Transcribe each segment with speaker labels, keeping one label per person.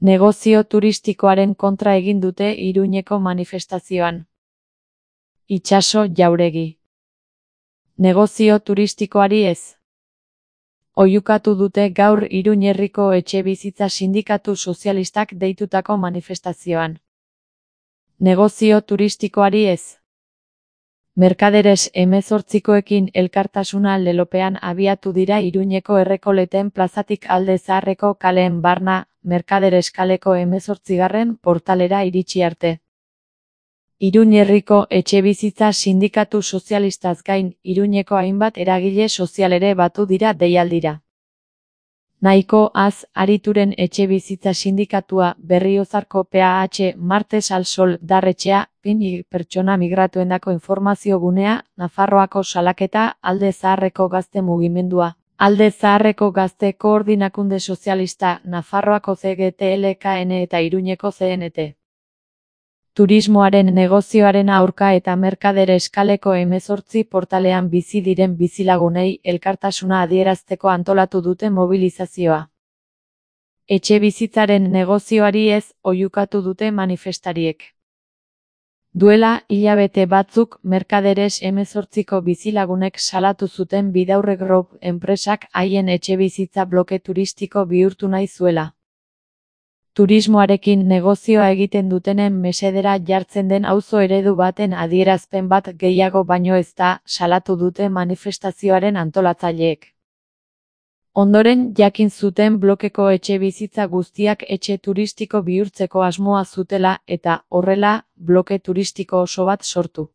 Speaker 1: Negozio turistikoaren kontra egin dute Iruñeko manifestazioan. Itxaso Jauregi. Negozio turistikoari ez. Oihukatu dute gaur Iruñ herriko etxebizitza sindikatu sozialistak deitutako manifestazioan. Negozio turistikoari ez. Merkaderes 18koekin elkartasuna lelopean abiatu dira Iruñeko Errekoleten plazatik Alde Zaharreko kaleen barna, Merkaderes kaleko 18. portalera iritsi arte. Iruñ herriko etxebizitza sindikatu sozialistaz gain, Iruñeko hainbat eragile sozial ere batu dira deialdira. Nahiko Az Arituren etxebizitza sindikatua, Berriozarko PAH, Martes al Sol Darretxea, pertsona migratuendako informazio gunea, Nafarroako salaketa, Alde Zaharreko gazte mugimendua, Alde Zaharreko gazte koordinakunde sozialista, Nafarroako CGTLKN eta Iruñeko CNT. Turismoaren negozioaren aurka eta Merkaderes kaleko 18 portalean bizi diren bizilagunei elkartasuna adierazteko antolatu dute mobilizazioa. Etxebizitzaren negozioari ez, oihukatu dute manifestariek. Duela hilabete batzuk Merkaderes 18ko bizilagunek salatu zuten Bidaurre Group enpresak haien etxebizitza bloke turistiko bihurtu nahi zuela. Turismoarekin negozioa egiten dutenen mesedera jartzen den auzo eredu baten adierazpen bat gehiago baino ez da, salatu dute manifestazioaren antolatzaileek. Ondoren jakin zuten blokeko etxebizitza guztiak etxe turistiko bihurtzeko asmoa zutela eta, horrela, bloke turistiko oso bat sortu.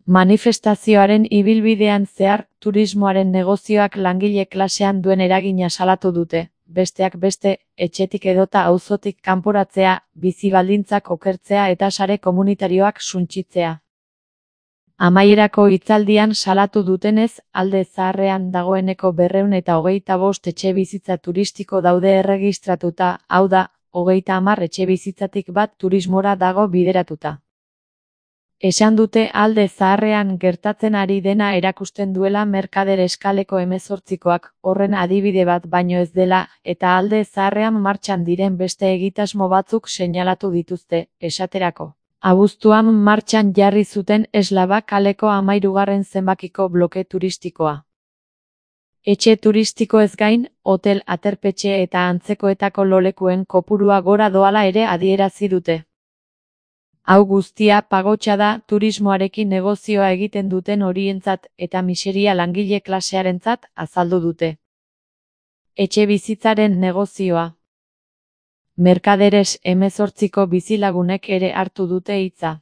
Speaker 1: Manifestazioaren ibilbidean zehar, turismoaren negozioak langile klasean duen eragina salatu dute. Besteak beste, etxetik edota auzotik kanporatzea, bizi baldintzak okertzea eta sare komunitarioak suntsitzea. Amaierako hitzaldian salatu dutenez, Alde Zaharrean dagoeneko 225 etxebizitza turistiko daude erregistratuta, hau da, 30 etxebizitzatik bat turismora dago bideratuta. Esan dute Alde Zaharrean gertatzen ari dena erakusten duela Merkaderes kaleko 18koak, horren adibide bat baino ez dela, eta Alde Zaharrean martxan diren beste egitasmo batzuk seinalatu dituzte, esaterako. Abuztuan martxan jarri zuten Eslaba kaleko 13. zenbakiko bloke turistikoa. Etxe turistiko ez gain, hotel, aterpetxe eta antzekoetako lolekuen kopurua gora doala ere adierazi dute. Hau guztia pagotxa da turismoarekin negozioa egiten duten horientzat eta miseria langile klasearentzat azaldu dute. Etxebizitzaren negozioa. Merkaderes 18ko bizilagunek ere hartu dute hitza.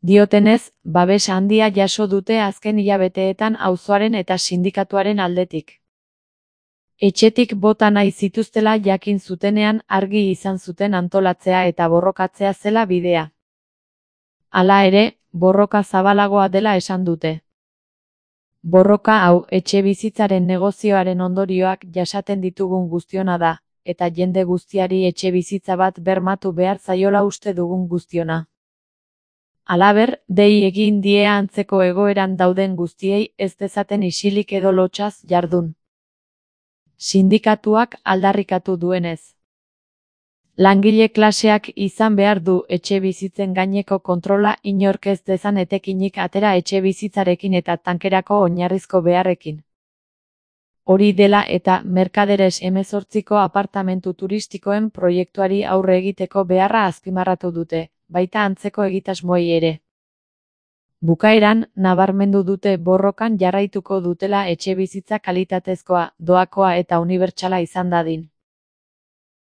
Speaker 1: Diotenez, babes handia jaso dute azken hilabeteetan auzoaren eta sindikatuaren aldetik. Etxetik bota nahi zituztela jakin zutenean argi izan zuten antolatzea eta borrokatzea zela bidea. Hala ere, borroka zabalagoa dela esan dute. Borroka hau etxebizitzaren negozioaren ondorioak jasaten ditugun guztiona da, eta jende guztiari etxebizitza bat bermatu behar zaiola uste dugun guztiona. Halaber, dei egin die antzeko egoeran dauden guztiei ez dezaten isilik edo lotsaz jardun. Sindikatuak aldarrikatu duenez. Langile klaseak izan behar du etxebizitzen gaineko kontrola inork ez dezan etekinik atera etxebizitzarekin eta tankerako oinarrizko beharrekin. Hori dela eta Merkaderes 18ko apartamentu turistikoen proiektuari aurre egiteko beharra azpimarratu dute, baita antzeko egitasmoei ere. Bukaeran, nabarmendu dute borrokan jarraituko dutela etxebizitza kalitatezkoa, doakoa eta unibertsala izan dadin.